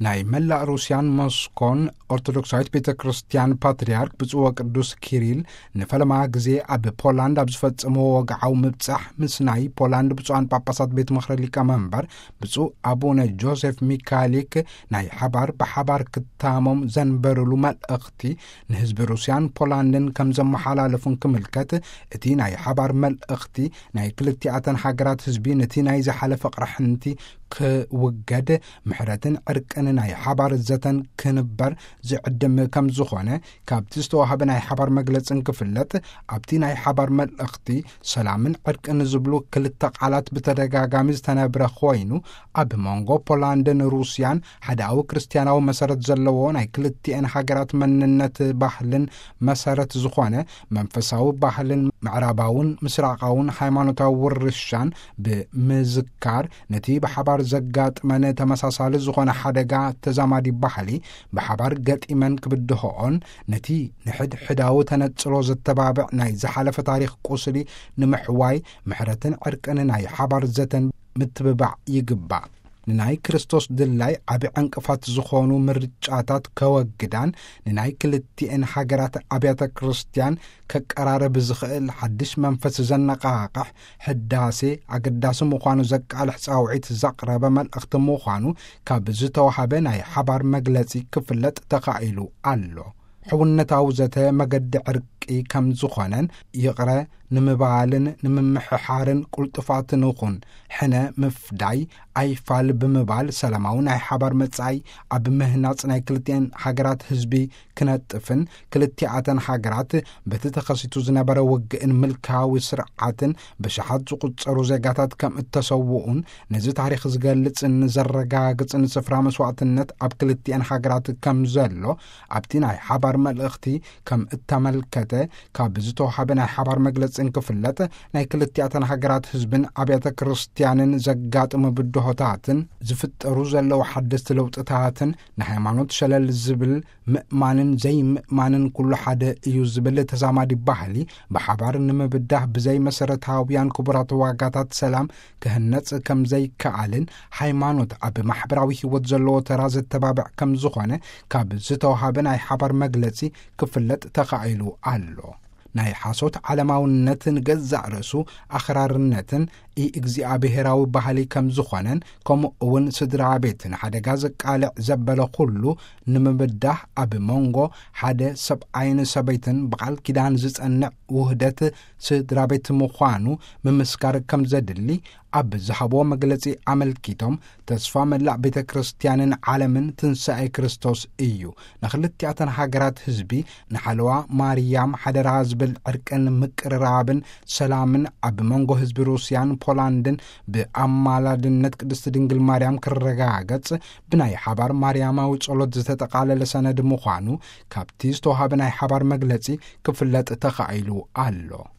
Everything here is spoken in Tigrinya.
ናይ መላእ ሩስያን ሞስኮን ኦርቶዶክሳዊት ቤተ ክርስቲያን ፓትርያርክ ብፁዕ ወቅዱስ ኪሪል ንፈለማ ግዜ ኣብ ፖላንድ ኣብ ዝፈጸምዎ ወግዓዊ ምብጻሕ፣ ምስ ናይ ፖላንድ ብፁዓን ጳጳሳት ቤት ምኽሪ ሊቀመንበር ብፁዕ ኣቡነ ጆሴፍ ሚካሊክ ናይ ሓባር ብሓባር ክታሞም ዘንበሩሉ መልእኽቲ ንህዝቢ ሩስያን ፖላንድን ከም ዘመሓላለፉን ክምልከት፣ እቲ ናይ ሓባር መልእኽቲ ናይ ክልቲኣተን ሃገራት ህዝቢ ነቲ ናይ ዝሓለፈ ቅርሕንቲ ክውገድ፣ ምሕረትን ዕርቅን ናይ ሓባር ዘተን ክንበር ዝዕድም ከም ዝኾነ ካብቲ ዝተዋህበ ናይ ሓባር መግለጽን ክፍለጥ፣ ኣብቲ ናይ ሓባር መልእኽቲ ሰላምን ዕርቅን ዝብሉ ክልተ ቃላት ብተደጋጋሚ ዝተነብረ ኮይኑ፣ ኣብ መንጎ ፖላንድን ሩስያን ሓዳዊ ክርስትያናዊ መሰረት ዘለዎ ናይ ክልቲኤን ሃገራት መንነት ባህልን መሰረት ዝኾነ መንፈሳዊ ባህልን ምዕራባውን ምስራቃውን ሃይማኖታዊ ውርሻን ብምዝካር፣ ነቲ ብሓባር ዘጋጥመን ተመሳሳሊ ዝኾነ ሓደጋ ተዛማዲ ባህሊ ብሓባር ገጢመን ክብድሆኦን፣ ነቲ ንሕድ ሕዳዊ ተነጽሎ ዘተባብዕ ናይ ዝሓለፈ ታሪኽ ቁስሊ ንምሕዋይ ምሕረትን ዕርቅን ናይ ሓባር ዘተን ምትብባዕ ይግባእ። ንናይ ክርስቶስ ድላይ ዓቢ ዕንቅፋት ዝኾኑ ምርጫታት ከወግዳን፣ ንናይ ክልቲኤን ሃገራት ኣብያተ ክርስቲያን ከቀራርብ ዝኽእል ሓድሽ መንፈስ ዘነቓቕሕ ሕዳሴ ኣገዳሲ ምዃኑ ዘቃልሕ ጻውዒት ዘቕረበ መልእኽቲ ምዃኑ ካብ ዝተዋህበ ናይ ሓባር መግለጺ ክፍለጥ ተኻኢሉ ኣሎ። ሕውነታዊ ዘተ መገዲ ዕርቂ ከም ዝኾነን፣ ይቕረ ንምባልን ንምምሕሓርን ቁልጡፋት ንኹን፣ ሕነ ምፍዳይ ኣይፋል ብምባል፣ ሰላማዊ ናይ ሓባር መጻኢ ኣብ ምህናጽ ናይ ክልቲኤን ሃገራት ህዝቢ ክነጥፍን፣ ክልቲኣተን ሃገራት በቲ ተኸሲቱ ዝነበረ ውግእን ምልካዊ ስርዓትን ብሽሓት ዝቑጸሩ ዜጋታት ከም እተሰውኡን፣ ነዚ ታሪኽ ዝገልጽን ዘረጋግጽን ስፍራ መስዋዕትነት ኣብ ክልቲኤን ሃገራት ከም ዘሎ ኣብቲ ናይ ሓባር መልእኽቲ ከም እተመልከተ ካብ ዝተዋሃበ ናይ ሓባር መግለጽን ክፍለጥ፣ ናይ ክልቲኣተን ሃገራት ህዝብን ኣብያተ ክርስቲያንን ዘጋጥሙ ብድሆታትን ዝፍጠሩ ዘለዉ ሓደስቲ ለውጥታትን ንሃይማኖት ሸለል ዝብል ምእማንን ዘይምእማንን ኩሉ ሓደ እዩ ዝብል ተዛማዲ ባህሊ ብሓባር ንምብዳህ ብዘይ መሰረታውያን ክቡራት ዋጋታት ሰላም ክህነጽ ከም ዘይከኣልን፣ ሃይማኖት ኣብ ማሕበራዊ ህይወት ዘለዎ ተራ ዘተባብዕ ከም ዝኾነ ካብ ዝተዋሃበ ናይ ሓባር መግለጺ ክፍለጥ ተኻኢሉ ኣሎ። ናይ ሓሶት ዓለማውነት ንገዛእ ርእሱ ኣኽራርነትን ኢ እግዚኣብሔራዊ ባህሊ ከም ዝኾነን፣ ከምኡ እውን ስድራ ቤት ንሓደጋ ዘቃልዕ ዘበለ ኩሉ ንምብዳህ ኣብ መንጎ ሓደ ሰብኣይን ሰበይትን ብቓል ኪዳን ዝጸንዕ ውህደት ስድራ ቤት ምዃኑ ምምስካር ከም ዘድሊ ኣብ ዝሃብዎ መግለጺ ኣመልኪቶም፣ ተስፋ መላእ ቤተ ክርስቲያንን ዓለምን ትንሳኤ ክርስቶስ እዩ። ንኽልቲኣተን ሃገራት ህዝቢ ንሓለዋ ማርያም ሓደራ ዝብል ዕርቅን ምቅርራብን ሰላምን ኣብ መንጎ ህዝቢ ሩስያን ፖላንድን ብኣማላድነት ቅድስቲ ድንግል ማርያም ክረጋገጽ ብናይ ሓባር ማርያማዊ ጸሎት ዝተጠቓለለ ሰነድ ምዃኑ ካብቲ ዝተዋሃበ ናይ ሓባር መግለጺ ክፍለጥ ተኻኢሉ ኣሎ።